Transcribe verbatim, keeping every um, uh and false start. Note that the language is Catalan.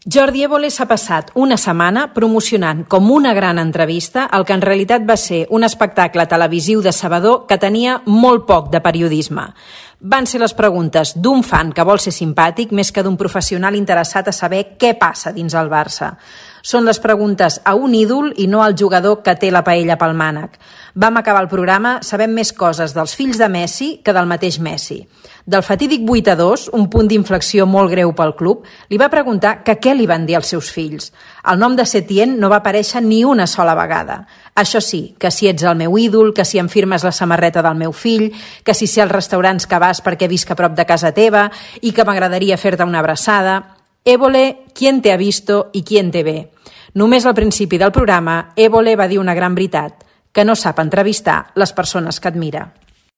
Jordi Évole s'ha passat una setmana promocionant com una gran entrevista el que en realitat va ser un espectacle televisiu decebedor que tenia molt poc de periodisme. Van ser les preguntes d'un fan que vol ser simpàtic més que d'un professional interessat a saber què passa dins el Barça. Són les preguntes a un ídol i no al jugador que té la paella pel mànec. Vam acabar el programa sabent més coses dels fills de Messi que del mateix Messi. Del fatídic vuit a dos, un punt d'inflexió molt greu pel club, li va preguntar que què li van dir als seus fills. El nom de Setien no va aparèixer ni una sola vegada. Això sí, que si ets el meu ídol, que si em firmes la samarreta del meu fill, que si sé els restaurants que vas perquè visc a prop de casa teva i que m'agradaria fer-te una abraçada. Évole, ¿quién te ha visto y quién te ve? Només al principi del programa, Évole va dir una gran veritat, que no sap entrevistar les persones que admira.